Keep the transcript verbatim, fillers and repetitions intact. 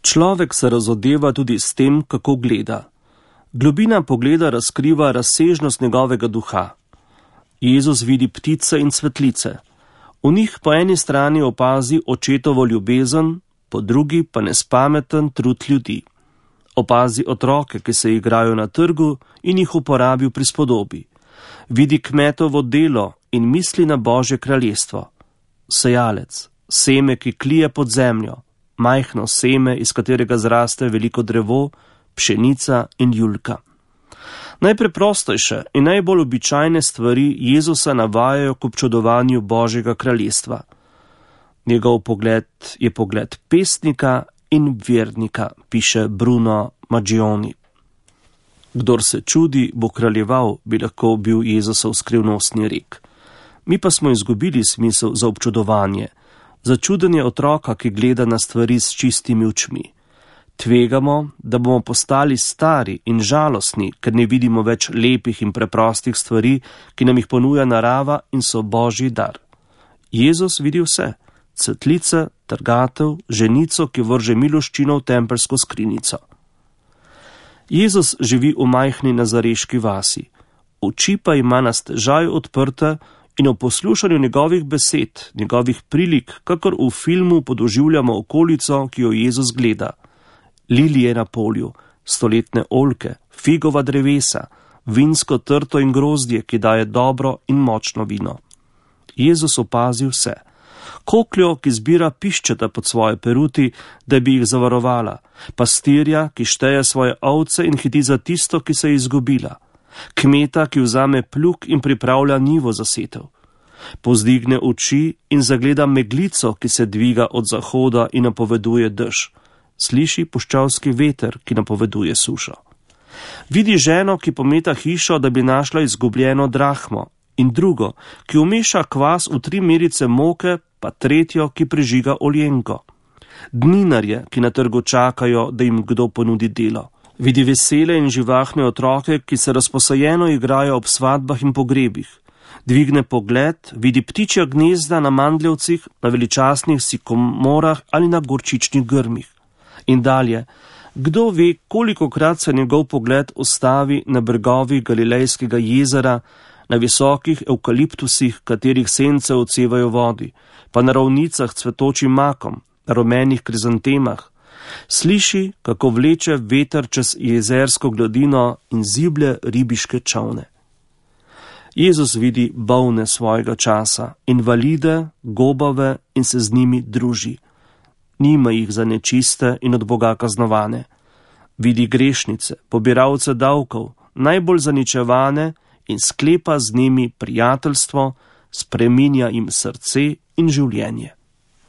Človek se razodeva tudi s tem, kako gleda. Globina pogleda razkriva razsežnost njegovega duha. Jezus vidi ptice in cvetlice. V njih po eni strani opazi očetovo ljubezen, po drugi pa nespameten trud ljudi. Opazi otroke, ki se igrajo na trgu in jih uporabi v prispodobi. Vidi kmetovo delo in misli na Božje kraljestvo. Sejalec, seme, ki klije pod zemljo, majhno seme, iz katerega zraste veliko drevo, pšenica in julka. Najpreprostejše in najbolj običajne stvari Jezusa navajajo k občudovanju Božjega kraljestva. Njegov pogled je pogled pesnika in vernika, piše Bruno Maggioni. Kdor se čudi, bo kraljeval, bi lahko bil Jezusov skrivnostni rek. Mi pa smo izgubili smisel za občudovanje, za čudenje otroka, ki gleda na stvari s čistimi očmi. Tvegamo, da bomo postali stari in žalostni, ker ne vidimo več lepih in preprostih stvari, ki nam jih ponuja narava in so Božji dar. Jezus vidi vse, cvetlice, trgatev, ženico, ki vrže miloščino v tempelsko skrinjico. Jezus živi v majhni nazareški vasi, oči pa ima na stežaj odprte in o poslušanju njegovih besed, njegovih prilik, kakor v filmu podoživljamo okolico, ki jo Jezus gleda. Lilije na polju, stoletne oljke, figova drevesa, vinsko trto in grozdje, ki daje dobro in močno vino. Jezus opazi vse. Kokljo, ki zbira piščeta pod svoje peruti, da bi jih zavarovala, pastirja, ki šteje svoje ovce in hiti za tisto, ki se je izgubila, kmeta, ki vzame plug in pripravlja njivo za setev, pozdigne oči in zagleda meglico, ki se dviga od zahoda in napoveduje dež, sliši puščavski veter, ki napoveduje sušo. Vidi ženo, ki pometa hišo, da bi našla izgubljeno drahmo, in drugo, ki umeša kvas v tri merice moke, pa tretjo, ki prižiga oljenko. Dninarje, ki na trgu čakajo, da jim kdo ponudi delo. Vidi vesele in živahne otroke, ki se razposajeno igrajo ob svadbah in pogrebih. Dvigne pogled, vidi ptičja gnezda na mandljevcih, na veličastnih sikomorah ali na gorčičnih grmih. In dalje, kdo ve, kolikokrat se njegov pogled ustavi na bregovih Galilejskega jezera, na visokih evkaliptusih, katerih sence odsevajo vodi, pa na ravnicah cvetočim makom, na rumenih krizantemah. Sliši, kako vleče veter čez jezersko gladino in ziblje ribiške čolne. Jezus vidi bolne svojega časa, invalide, gobave in se z njimi druži. Nima jih za nečiste in od Boga kaznovane. Vidi grešnice, pobiralce davkov, najbolj zaničevane in sklepa z njimi prijateljstvo, spreminja jim srce in življenje.